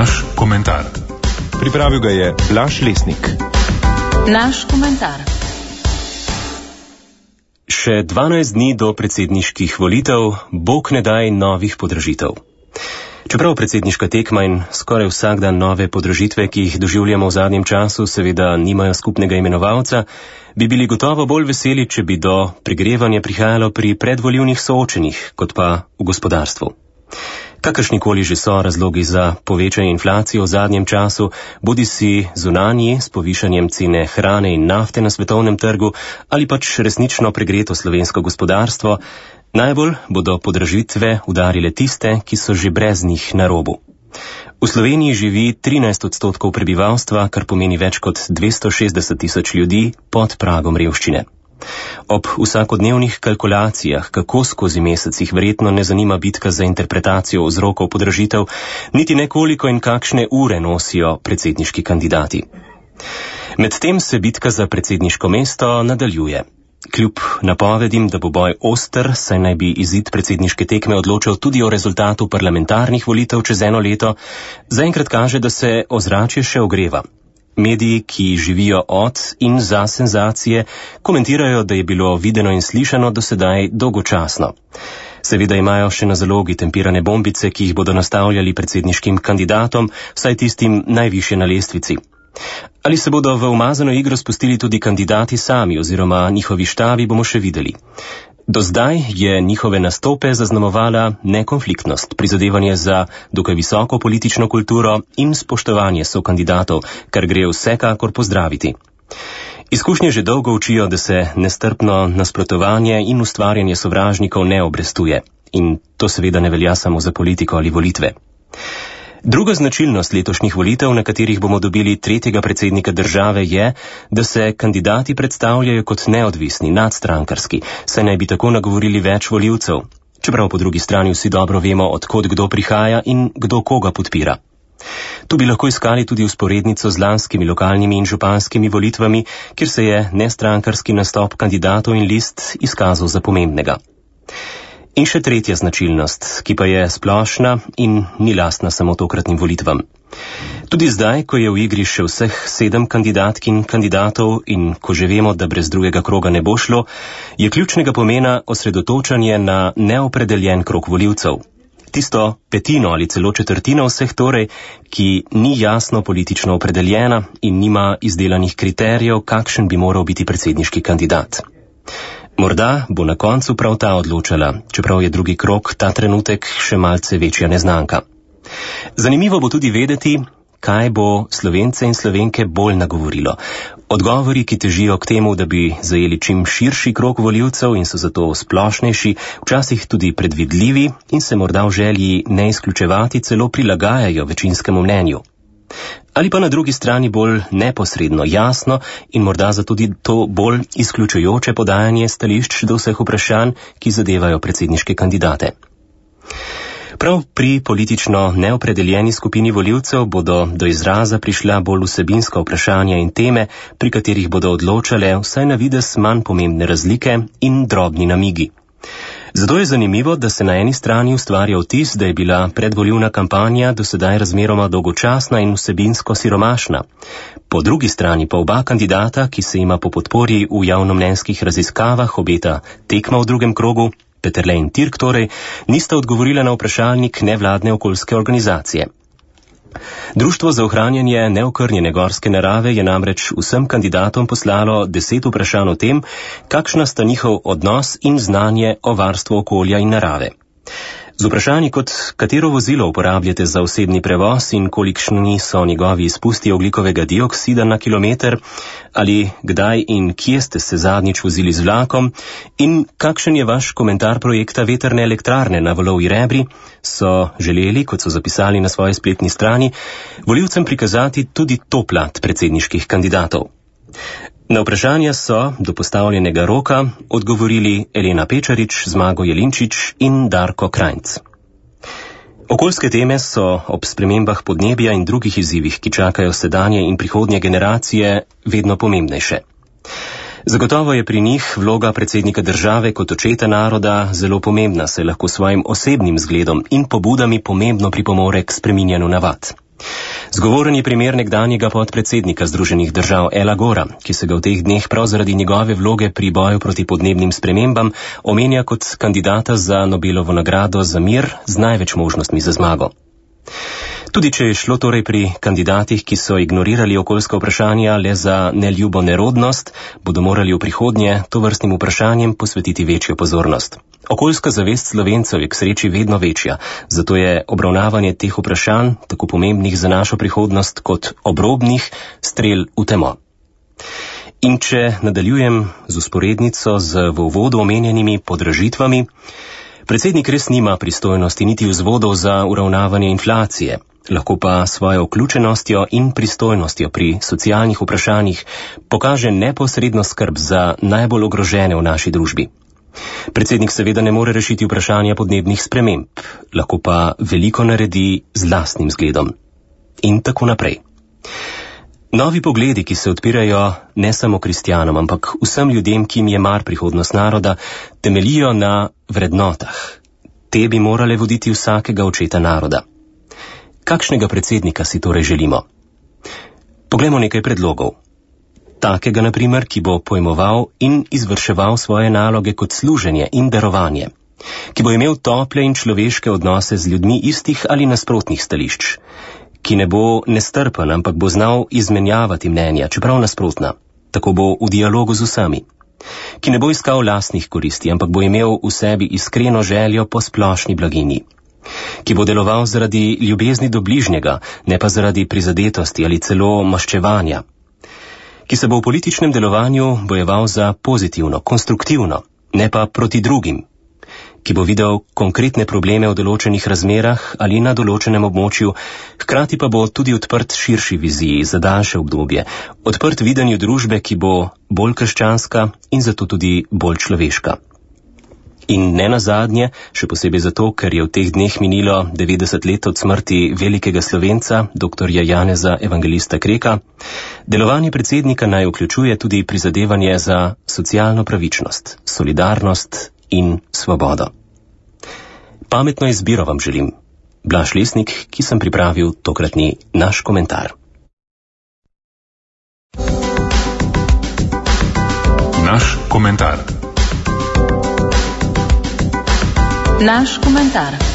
Naš komentar. Pripravil ga je Blaž Lesnik. Naš komentar. Še 12 dni do predsedniških volitev, bog ne daj novih podražitev. Čeprav predsedniška tekma in skoraj vsak dan nove podražitve, ki jih doživljamo v zadnjem času, seveda nimajo skupnega imenovalca, bi bili gotovo bolj veseli, če bi do pregrevanja prihajalo pri predvolilnih soočenjih, kot pa v gospodarstvu. Kakršnikoli že so razlogi za povečanje inflacije v zadnjem času, bodisi zunanji s povišanjem cene hrane in nafte na svetovnem trgu ali pač resnično pregreto slovensko gospodarstvo, najbolj bodo podražitve udarile tiste, ki so že brez njih na robu. V Sloveniji živi 13% prebivalstva, kar pomeni več kot 260 tisoč ljudi pod pragom revščine. Ob vsakodnevnih kalkulacijah, kako skozi mesec jih verjetno ne zanima bitka za interpretacijo vzrokov podražitev, niti nekoliko in kakšne ure nosijo predsedniški kandidati. Medtem se bitka za predsedniško mesto nadaljuje. Kljub napovedim, da bo boj oster, saj naj bi izid predsedniške tekme odločal tudi o rezultatu parlamentarnih volitev čez eno leto, zaenkrat kaže, da se ozračje še ogreva. Mediji, ki živijo od in za senzacije, komentirajo, da je bilo videno in slišano do sedaj dolgočasno. Seveda imajo še na zalogi tempirane bombice, ki jih bodo nastavljali predsedniškim kandidatom, vsaj tistim najvišje na lestvici. Ali se bodo v umazano igro spustili tudi kandidati sami oziroma njihovi štabi, bomo še videli. Do zdaj je njihove nastope zaznamovala nekonfliktnost, prizadevanje za dokaj visoko politično kulturo in spoštovanje sokandidatov, kar gre vsekakor pozdraviti. Izkušnje že dolgo učijo, da se nestrpno nasprotovanje in ustvarjanje sovražnikov ne obrestuje. In to seveda ne velja samo za politiko ali volitve. Druga značilnost letošnjih volitev, na katerih bomo dobili tretjega predsednika države, je, da se kandidati predstavljajo kot neodvisni, nadstrankarski, saj naj bi tako nagovorili več volivcev, čeprav po drugi strani vsi dobro vemo, od kod kdo prihaja in kdo koga podpira. Tu bi lahko iskali tudi vzporednico z lanskimi lokalnimi in županskimi volitvami, kjer se je nestrankarski nastop kandidatov in list izkazal za pomembnega. In še tretja značilnost, ki pa je splošna in ni lastna samo tokratnim volitvam. Tudi zdaj, ko je v igri še vseh 7 kandidatk in kandidatov in ko že vemo, da brez drugega kroga ne bo šlo, je ključnega pomena osredotočanje na neopredeljen krog volivcev. Tisto petino ali celo četrtino vseh torej, ki ni jasno politično opredeljena in nima izdelanih kriterijev, kakšen bi moral biti predsedniški kandidat. Morda bo na koncu prav ta odločala, čeprav je drugi krog ta trenutek še malce večja neznanka. Zanimivo bo tudi vedeti, kaj bo Slovence in Slovenke bolj nagovorilo. Odgovori, ki težijo k temu, da bi zajeli čim širši krog volivcev in so zato splošnejši, včasih tudi predvidljivi in se morda v želji ne izključevati celo prilagajajo večinskemu mnenju. Ali pa na drugi strani bolj neposredno, jasno in morda zato tudi to bolj izključujoče podajanje stališč do vseh vprašanj, ki zadevajo predsedniške kandidate. Prav pri politično neopredeljeni skupini volivcev bodo do izraza prišla bolj vsebinska vprašanja in teme, pri katerih bodo odločale vsaj na videz manj pomembne razlike in drobni namigi. Zato je zanimivo, da se na eni strani ustvarja vtis, da je bila predvolilna kampanja do sedaj razmeroma dolgočasna in vsebinsko siromašna. Po drugi strani pa oba kandidata, ki se ima po podpori v javnomnenjskih raziskavah obeta tekma v drugem krogu, Peterle in Tirk torej, nista odgovorila na vprašalnik nevladne okoljske organizacije. Društvo za ohranjanje neokrnjene gorske narave je namreč vsem kandidatom poslalo 10 vprašanj o tem, kakšna sta njihov odnos in znanje o varstvu okolja in narave. Z vprašanji kot katero vozilo uporabljate za osebni prevoz in kolikšni so njegovi izpusti ogljikovega dioksida na kilometer, ali kdaj in kje ste se zadnjič vozili z vlakom in kakšen je vaš komentar projekta vetrne elektrarne na Valovi Rebri, so želeli, kot so zapisali na svoji spletni strani, volivcem prikazati tudi to plat predsedniških kandidatov. Na vprašanja so do postavljenega roka odgovorili Elena Pečarič, Zmago Jelinčič in Darko Krajnc. Okoljske teme so ob spremembah podnebja in drugih izzivih, ki čakajo sedanje in prihodnje generacije, vedno pomembnejše. Zagotovo je pri njih vloga predsednika države kot očeta naroda zelo pomembna, saj lahko svojim osebnim zgledom in pobudami pomembno pripomore k spreminjanju navad. Zgovoren je primer nekdanjega podpredsednika Združenih držav Ela Gora, ki se ga v teh dneh prav zaradi njegove vloge pri boju proti podnebnim spremembam omenja kot kandidata za Nobelovo nagrado za mir z največ možnostmi za zmago. Tudi če je šlo torej pri kandidatih, ki so ignorirali okoljska vprašanja le za neljubo nerodnost, bodo morali v prihodnje tovrstnim vprašanjem posvetiti večjo pozornost. Okoljska zavest Slovencev je k sreči vedno večja, zato je obravnavanje teh vprašanj, tako pomembnih za našo prihodnost kot obrobnih, strel v temo. In če nadaljujem z usporednico z v uvodu omenjenimi podražitvami, predsednik res nima pristojnosti niti vzvodov za uravnavanje inflacije, lahko pa svojo vključenostjo in pristojnostjo pri socialnih vprašanjih pokaže neposredno skrb za najbolj ogrožene v naši družbi. Predsednik seveda ne more rešiti vprašanja podnebnih sprememb, lahko pa veliko naredi z lastnim zgledom. In tako naprej. Novi pogledi, ki se odpirajo ne samo kristjanom, ampak vsem ljudem, ki jim je mar prihodnost naroda, temeljijo na vrednotah. Te bi morale voditi vsakega očeta naroda. Kakšnega predsednika si torej želimo? Poglejmo nekaj predlogov. Takega, na primer, ki bo pojmoval in izvrševal svoje naloge kot služenje in darovanje, ki bo imel tople in človeške odnose z ljudmi istih ali nasprotnih stališč, ki ne bo nestrpen, ampak bo znal izmenjavati mnenja, čeprav nasprotna, tako bo v dialogu z vsemi, ki ne bo iskal lastnih koristi, ampak bo imel v sebi iskreno željo po splošni blaginji, ki bo deloval zaradi ljubezni do bližnjega, ne pa zaradi prizadetosti ali celo maščevanja, ki se bo v političnem delovanju bojeval za pozitivno, konstruktivno, ne pa proti drugim, ki bo videl konkretne probleme v določenih razmerah ali na določenem območju, hkrati pa bo tudi odprt širši viziji za daljše obdobje, odprt videnju družbe, ki bo bolj krščanska in zato tudi bolj človeška. In ne nazadnje, še posebej zato, ker je v teh dneh minilo 90 let od smrti velikega Slovenca, doktorja Janeza Evangelista Kreka, delovanje predsednika naj vključuje tudi prizadevanje za socialno pravičnost, solidarnost in svobodo. Pametno izbiro vam želim. Blaž Lesnik, ki sem pripravil tokratni naš komentar. Naš komentar. Naš komentar.